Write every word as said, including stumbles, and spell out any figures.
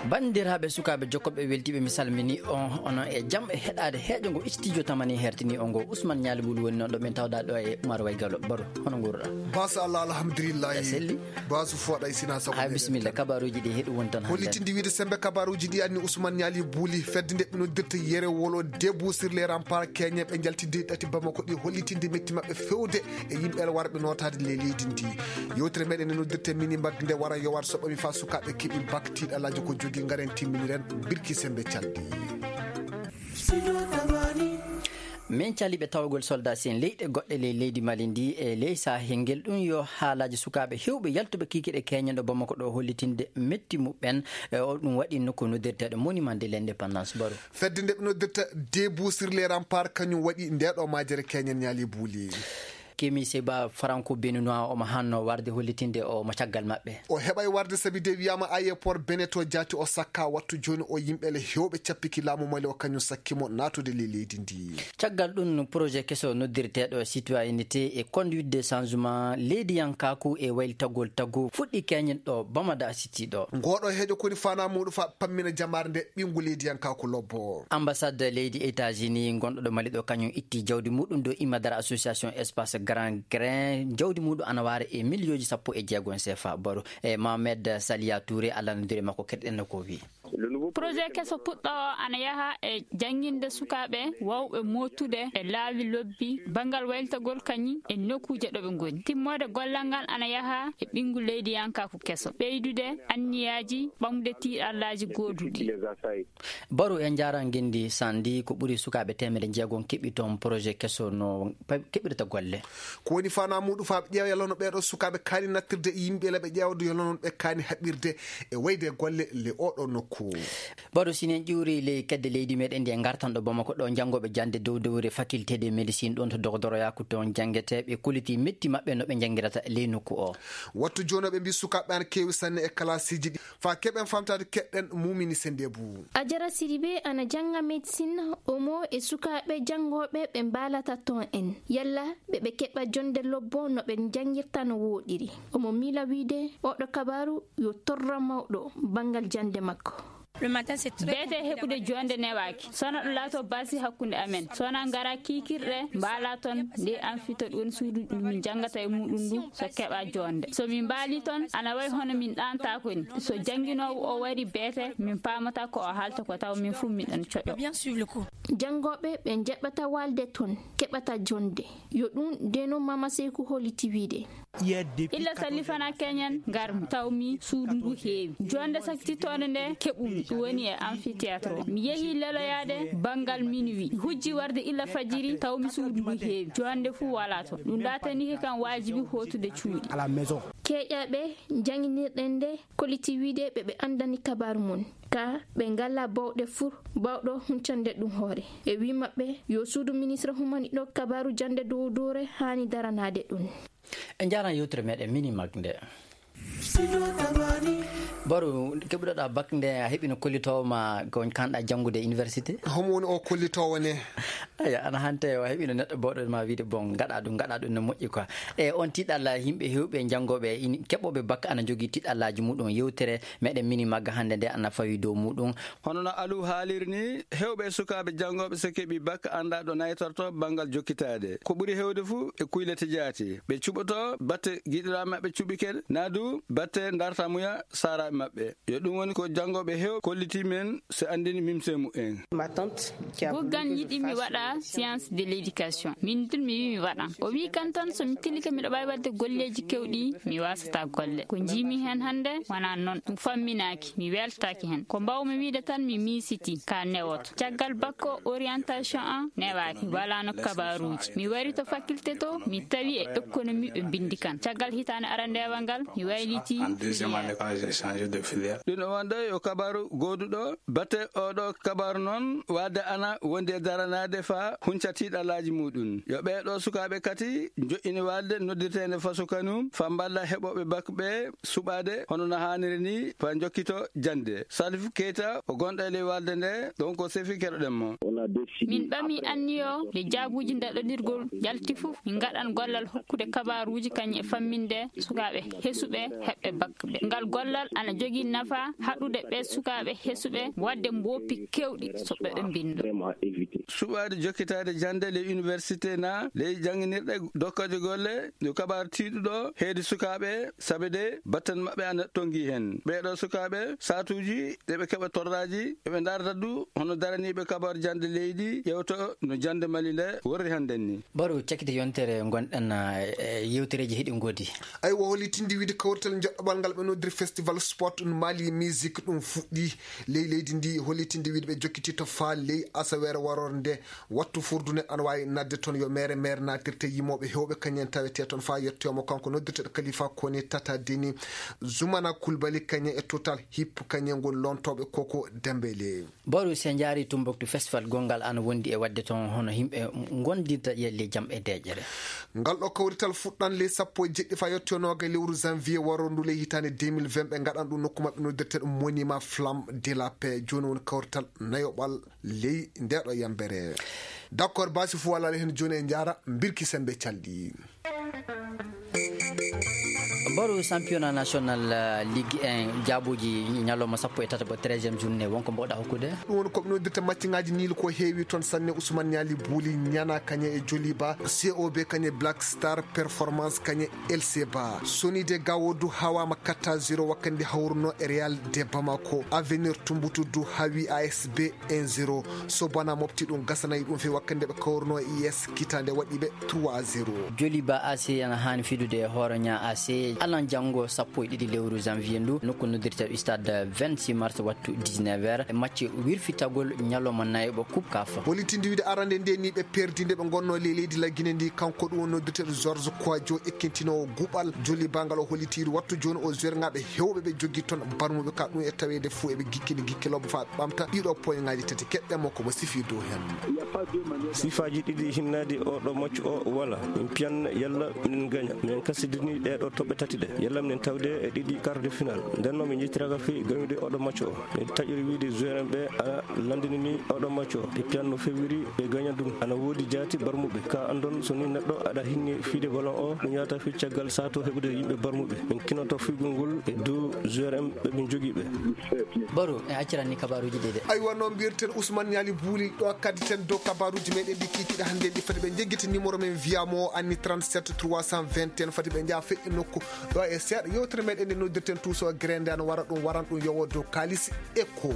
Banndiraaɓe sukaaɓe jokkooɓe weltiiɓe, mi salmini on, onon e jam e heɗaade heeƴo ngo studio tamani hertini on ngo. Ousmane Ñaali Buli woni noon ɗo min tawɗaa ɗo e Umar Way Galo. Baro, hono nguurɗaa? Bas Allah, alhamdulillahi. A selli? Basu fooɗa e sina sago. Ay, meɗen bisimilla, tan. Kabaaruuji ɗi heɗu won tan hannde. Hollitinde wiide sembe kabaaruuji ɗi anni Ousmane Ñaali Buli, fedde nde ɓe noddirta Yere Wolo, Debout sur les remparts, keñe ɓe njaltidde ɗati Bamako ɗi, hollitinde metti maɓɓe fewde e yimɓe warɓe nootaade le leydi ndi. Yewtere meɗen nde noddirte mini mbag nde wara yowar soɓɓami fa sukaaɓe keɓi bak tiiɗalaaji ko jogi ngaren timminiren birki sembe calɗi. Min caliɓe tawagol soldat sen leyɗe goɗɗe ley leydi Mali ndi e ley Sahel ngel. Ɗum yo haalaaji sukaaɓe heewɓe yaltuɓe kiikiɗe keñen ɗo Bamako ɗo hollitinde metti muɓɓen. E o ɗum waɗi nokku noddirteeɗo Monument de l'Indépendance. Baro. Fedde nde ɓe noddirta Debout sur les remparts kañum waɗi nde ɗo majere keñen Ñaali Buli. Kemi Seba Franco Béninois omo hanno warde hollitinde omo caggal maɓɓe. O heɓay warde sabi de wiyama aéroport Beneto jaati o sakka wattu joni o yimɓe le hewɓe cappiki laamu Mali o kañum sakkimo natude le leydi ndi. Caggal ɗum projet keso noddirteɗo citoyenneté et conduite de changement leydiyankaku e waylitagol tagu fuɗɗi keñen ɗo Bamada City ɗo. Ngoɗo heejo koni fana muɗum fa pammina jamare nde ɓingu leydiyankaku lobbo. Ambassade leydi États-Unis gonɗo ɗo Mali ɗo kañum itti jawdi muɗum dow immadara association Espace Grand Grain, jawdi muɗum ana waara e miliyooji sappo e jeegom C F A. Baro e Mohamed Salia Touré, Allah nodiri makko keɗɗen no ko wi. Projet keso puɗɗo o ana yaha e jannginde sukaaɓe wawɓe mootude e laawi lobbi banngal waylitagol kañum e nokkuuje ɗo ɓe ngoni. Timmoode gollal ngal ana yaha e ɓinngu leydiyankaku keso, ɓeydude anniyaaji ɓamde tiiɗallaaji gooduɗi. Baro e njaara ngenndi sandi ko ɓuri sukaaɓe teemedde jeegom keɓi toon projet keso no pe-, keɓirta golle. Ko woni fana muɗum fa ɓe ƴeewa yalla no ɓeeɗo sukaaɓe kaani nattirde e yimɓe le ɓe ƴeewdo yalla noon ɓe kaani haɓirde e wayde golle le oɗo nokku. Baro sinen ƴuuri ley kedde leydi meɗen ndi e ngartan ɗo Bamako ɗo janngooɓe jannde dow dowre faculté de médecine ɗon to dogdoroyaku toon janngeteeɓe koliti metti maɓɓe no ɓe janngirata ley nokku o. Wattu jooni ɓe mbi sukaaɓe ana keewi sanne e kalasiiji ɗi. Fa keɓen famtaade keɗɗen mumini sende bu. Ajara Sidibe ana jannga médecine, omo e sukaaɓe janngooɓe ɓe mbaalata toon en. Yalla ɓe ɓe keɓa jonde lobbo no ɓe njanngirta no wooɗiri. Omo miila wiide oɗo kabaaru yo torra mawɗo banngal jannde makko. Beete heɓude jonde newaaki. Sona ɗo laato basi hakkunde amen. Sona ngara kiikirɗe mbaala toon nde an fito ɗon suudu ndu min janngata e muɗum ndu so keɓa jonde. So min mbaali toon ana way hono min ɗaantaako ni. So jannginoowo o wari beete min paamata ko o haalta ko taw min fuu min ɗon coƴo. Janngooɓe ɓe njaɓata walde toon keɓata jonde. Yo ɗum deno Mama Seyku holliti wiide. Illa salli fana keñen ngar tawmi suudu ndu heewi. Jonde saktitoonde nde keɓumi ɗum woni e amphithéâtre o. Mi yehi leloyaade banngal minuit. Mi hujji warde illa fajiri tawmi suudu ndu heewi. Jonde fuu wala toon. Ɗum laatanike kam waajibi hootude cuuɗi. Keeƴaaɓe jannginirɗen nde kolliti wiide ɓe ɓe anndani kabaaru mon. Ka ɓe ngala bawɗe fur bawɗo huncande ɗum hoore. E wi maɓɓe yo suudu ministre humani ɗo kabaaru jannde dow doore haani daranaade ɗum. En njaran yewtere meɗen mini mag nde. Baro, keɓuɗoɗa bak nde a heɓino kollitowo ma ko kanɗa janngude e université? Homo woni o kollitowo ne? Aya, ana hante o heɓino neɗɗo bawɗo ma wiide bon, ngaɗa ɗum, ngaɗa ɗum no moƴƴi quoi. E on tiiɗalla yimɓe hewɓe janngooɓe ini-, keɓooɓe bak ana jogii tiiɗallaaji muɗum. Yewtere meɗen mini magga hannde nde ana fawi dow muɗum. Hono no Aliou haaliri ni, hewɓe sukaaɓe janngooɓe so keɓi bak annda ɗo naytorto banngal jokkitaade. Ko ɓuri hewde fuu e kuylete jaati. Ɓe cuɓoto batte giɗiraaɓe maɓɓe cuɓike, naa du batte darta muya saaraaɓe maɓɓe. Yo ɗum woni ko janngooɓe heew kolliti men so anndini mimse mu'en. Goggan yiɗi mi waɗa science de l'éducation. Min tun mi wi mi waɗan. O wi kan tan so mi tillike miɗo waawi waɗde golleeji kewɗi, mi wasata golle. Ko njiimi heen hannde wonaa noon. Ɗum famminaaki, mi weltaaki heen. Ko mbaawmi wiide tan mi miisiti ka newoto. Caggal bakko orientation an newaaki, walaano kabaaruuji. Mi wari to faculté to, mi tawi e économie ɓe mbinndi kan. Caggal hitaande arandeewal ngal, mi wayliti filière. Ɗum o wonde yo kabaaru gooduɗo. Batte oɗo kabaaru noon, waɗde ana wondi e daranaade faa hunca tiiɗalaaji muɗum. Yo ɓee ɗoo sukaaɓe kati njoɗɗini waɗde noddirteende faso kanum faa mballa heɓooɓe bak ɓe suɓaade hono no haaniri ni faa njokkito jannde. Salif Keita o gonɗo e ley walde nde, ɗon ko sefi keɗoɗen mo. Min ɓami anniyo nde jaabuuji daɗodirgol jalti fof, min ngaɗan gollal hokkude kabaaruuji kañum e famminde sukaaɓe hesuɓe heɓɓe bak ɓe. Ngal gollal ana Jogii nafa haɗude ɓe sukaaɓe hesuɓe waɗde mboppi keewɗi so ɓe ɓe mbindo. Suɓaade jokkitaade jannde ley université na ley jannginirɗe dokkooje golle, yo kabaaru tiiɗuɗo heedi sukaaɓe, sabe de battan maɓɓe ana tonngi heen. Ɓeeɗo sukaaɓe, saatuuji ɗe ɓe keɓa torraaji, eɓe ndaarta du hono daraniiɓe kabaaru jannde leydi, ƴeewto no jannde Mali nde worri hannden ni. Baru, cakkite yontere ngonɗen, eh, yewtereeji heɗi ngoodi. Aywa, hollitinde wiide kawrital joɗɗoɓal ngal ɓe noddiri Festival Sport ɗum Mali Music ɗum fuɗɗi ley leydi ndi, hollitinde wiide ɓe jokkiti to faa ley asaweere waroore nde, wattu furdu neɗɗo ana waawi nadde toon yo meere meere naatirte yimooɓe heewɓe kañum en tawetee toon faa yettoyoo mo kanko noddirteeɗo Kalifa Kone Tata Deni, Zumana Kulbali kañum e Total Hip kañum ngoni loontooɓe Koko Dembele. Boru, si en njaari Tumbuktu, festival gonngal ana wondi e waɗde toon hono yimɓe ngondinta e ley jam e deeƴere. Ngal ɗo kawrital fuɗɗan ley sappo e jeɗɗi faa yettoyoo noogay lewru janvier waroondu ley hitaande deux mille vingt, ɓe ngaɗan ɗum nokku maɓɓe noddirteeɗo Monument Flamme de la Paix. Jooni woni kawrital nayoɓal ley nde ɗo yambere. D'accord, baasi fuu walaali heen jooni e njaara mbirki sembe calɗi. Boru, championnat national, eh, Ligue un, jaabuuji ñalawma sappo e tataɓo, treizième journée, wonko mboɗa hokkude? Ɗum woni ko ɓe noddirta matchŋaaji niil ko heewi toon sanne. Ousmane Niali Bouli Niana kañe e Joliba, C O B kañe Black Star Performance kañe L C Ba. Sonide Gawodu hawaama quatre à zéro wakkande hawruno e Real de Bamako. Avenir Tumbutu du hawi A S B un zéro. Sobana mofti ɗum, gasanay ɗum fewi wakkande ɓe kawruno e I S Kita nde waɗi ɓe trois zéro. Joliba A C ana haani fidude e Horoña A C alan janngo sappo e ɗiɗi lewru janvier ndu, nokku noddirta Stade vingt-six mars, wattu dix-neuf heures. E match wirfitagol ñalawma nayoɓo Coupe CAF. Hollitinde wiide arande nde ni ɓe perdi nde ɓe ngonno ley leydi la Guinée ndi, kanko ɗum woni noddirteeɗo Georges Kouadio, ekkintinoowo guɓal Joliba ngal o hollitiiri wattu jooni o joueur ŋaaɓe heewɓe ɓe joggi toon barmuɓe ka ɗum e taweede fuu eɓe gikkini gikkilooɓe faa ɓamta ɗiɗo poñŋaaji tati. Keɗɗen mo ko mo sifi dow heen. Sifaaji ɗiɗi hinnaade oo ɗo match o wala. Min piyan yalla minen gaña. Minen kasidini ɗee ɗo toɓɓe tati ɗe. Yalla minen tawde e ɗiɗi quart de finale. Nden noon min njettiraka fii gañude oo ɗo match o. Min taƴori wiide joueur en ɓe a lanndinini oo ɗo match o. Ɓe piyan no fewiri ɓe gaña ɗum. Ana woodi jaati barmuɓe. Ka anndon so ni neɗɗo aɗa hinni fiide ballon o, ɗum yahata fii caggal sato heɓude yimɓe barmuɓe. Min kinoto fiigol ngol e dow joueur en ɓe min jogii ɓe. Boru, en acciran ni kabaaruuji ɗi de. Aywa, no mbiyeten Ousmane Niali Bouli ɗo, kadditen dow kabaaruuji meɗen ɗi kiikiɗe hannde ɗi fati ɓe njeggita numéro men wiya mo anni trente-sept trois cent vingt et un, fati ɓe njaha feƴƴa nokku ɗo e seeɗa. Yewtere meɗen nde noddirten Tuuso Grende ana wara ɗum, waran ɗum yowo dow kaalis e ko.